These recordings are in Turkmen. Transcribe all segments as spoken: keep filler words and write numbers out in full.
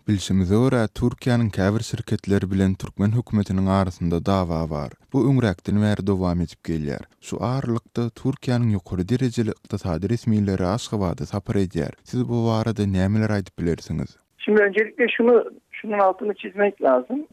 Bilşimize görä, Türkiýäniň käbir şirketleri bilen türkmen hökümetiniň arasynda dawa bar. Bu öňräkden bäri dowam edip gelýär. Şu aralykda Türkiýäniň ýokary derejeli ykdysady resmileri Aşgabada sapar edýär. Siz bu barada nämeler aýdyp bilersiňiz? Şimdi öncelikle şunu şunun altını çizmek lazım.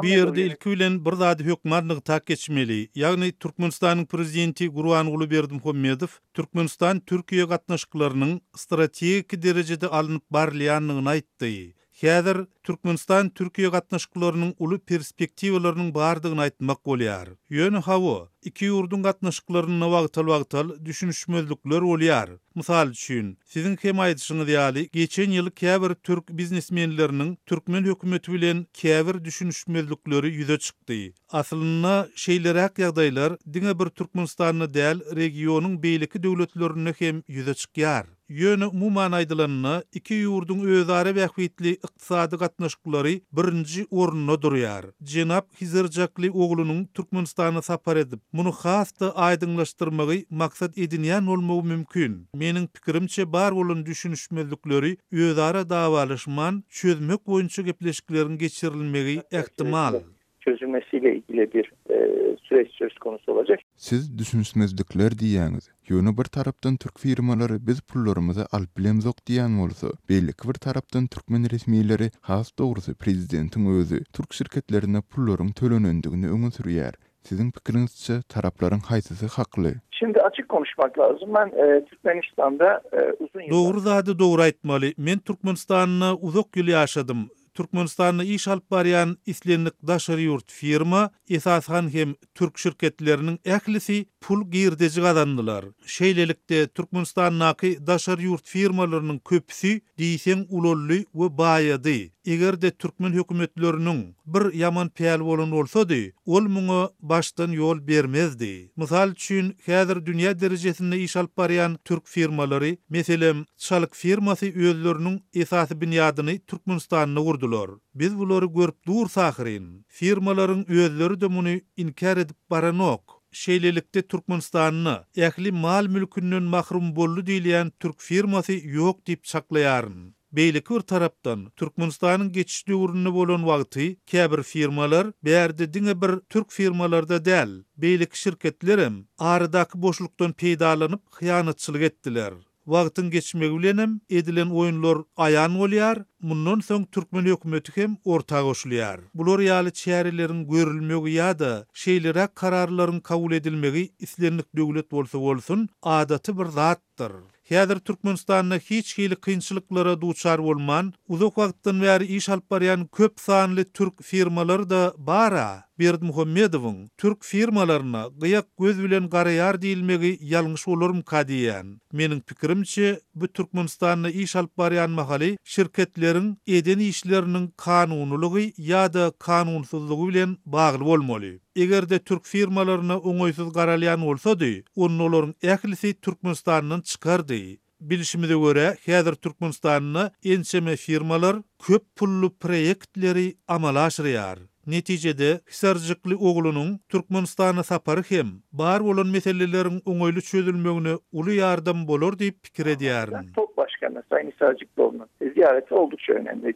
Bu ýerde ilki bilen bir zady hökman nygtap geçmeli. Ýagny Türkmenistanyň prezidenti Gurbanguly Berdimuhamedow Türkmenistan Türkiýe gatnaşyklarynyň strategik derejede alnyp barylýandygyny aýtdy. Häzir Türkmenistan Türkiýe gatnaşyklarynyň uly perspektiwalarynyň bardygyny aýtmak bolýar. Ýöne hawa, iki ýurduň gatnaşyklarynda wagtal-wagtal düşünişmezlikler bolýar. Mysal üçin, siziň hem aýdyşyňyz ýaly, geçen ýyl käbir türk biznesmenleriniň türkmen hökümeti bilen käbir düşünişmezlikleri ýüze çykdy. Aslynda şeýleräk ýagdaýlar diňe bir Türkmenistanda däl, regionyň beýleki döwletlerinde hem ýüze çykýar. Ýöne umuman aýdylanda, iki ýurduň özara bähbitli ykdysady gatnaşyklary birinji orunda durýar. Jenap Hizirjakly oglunyň Türkmenistana sapar edip, muny has-da aýdyňlaşdyrmagy maksat edinýän bolmagy mümkin. Meniň pikirimçe bar bolan düşünişmezlikleri özara dawalaşman çözmek boýunça gepleşikleriň geçirilmegi ähtimal. Çözülmesiyle ilgili bir e, süreç söz konusu olacak. Siz düşünişmezlikler diýýäňiz. Ýöne bir tarapdan türk firmalary biz pullarymyzy alyp bilemzok diýen bolsa, beýleki bir tarapdan türkmen resmileri, has dogrusy prezidentiň özi türk şirketlerine pullaryň tölenendigini öňe sürýär. Siziň pikiriňizçe taraplaryň haýsysy hakly? Şimdi açık konuşmak lazım. Ben e, Türkmenistan'da e, uzun yıllar... Dogry zady dogry aýtmaly. Men Türkmenistanda uzak ýyl ýaşadym. Türkmenistanda iş alyp barýan islendik daşary ýurt firma, esasan hem türk şirketleriniň ählisi pul girdeji gazandylar. Şeýlelikde Türkmenistandaky daşary ýurt firmalarynyň köpüsi diýseň ulaldy we baýady. Eger-de türkmen hökümetleriniň bir ýaman päl bolan bolsady, ol muňa başdan ýol bermezdi. Mysal üçin, häzir dünýä derejesinde iş alyp barýan türk firmalary, meselem, Çalyk firmasy özleriniň esasy binýadyny Türkmenistanda gurdular. Biz bulary görüp dur ahyryn. Firmalaryň özleri de muny inkär edip baranok. Şeýlelikde Türkmenistanda ähli mal mülkünden mahrum boldy diýilýän türk firmasy ýok diýip çaklaýaryn. Beýleki bir tarapdan Türkmenistanyň geçiş döwründe bolan wagty käbir firmalar bärde diňe bir türk firmalarda däl, beýleki şirketlerem aradaky boşlukdan peýdalanyp hyýanatçylyk etdiler. Wagtyň geçmegi bilenem edilen oýunlar aýan bolýar, mundan soň türkmen hökümeti hem orta goşulýar. Bular ýaly çäreleriň görülmegi ýa-da şeýleräk kararlaryň kabul edilmegi islendik döwlet bolsa bolsun, adaty bir zatdyr. Häzir Türkmenistanda hiç hili kynçylyklara duçar bolman, uzak wagtdan bäri iş alyp barýan köp sanly türk firmalary da bara. Berdimuhamedowyň türk firmalaryna gyýak göz bilen garaýar diýilmegi ýalňyş bolarmyka diýýän. Meniň pikirimçe, bu Türkmenistanda iş alyp barýan mahaly şirketleriň eden işleriniň kanunylygy ýa-da kanunsyzlygy bilen bagly bolmaly. Eger-de türk firmalaryna oňaýsyz garalýan bolsady, onda olaryň ählisi Türkmenistandan çykardy. Bilşimize görä, häzir Türkmenistanda ençeme firmalar köp pully proýektleri amala aşyrýar. Netijede Hisarjykly oglunyň Türkmenistana sapary hem bar bolan meseleleriň oňaýly çözülmegine uly ýardam bolar diýip pikir edýärin. TOGG Başkanı Sayın Hisarcıklıoğlu'nun ziyareti oldukça önemli.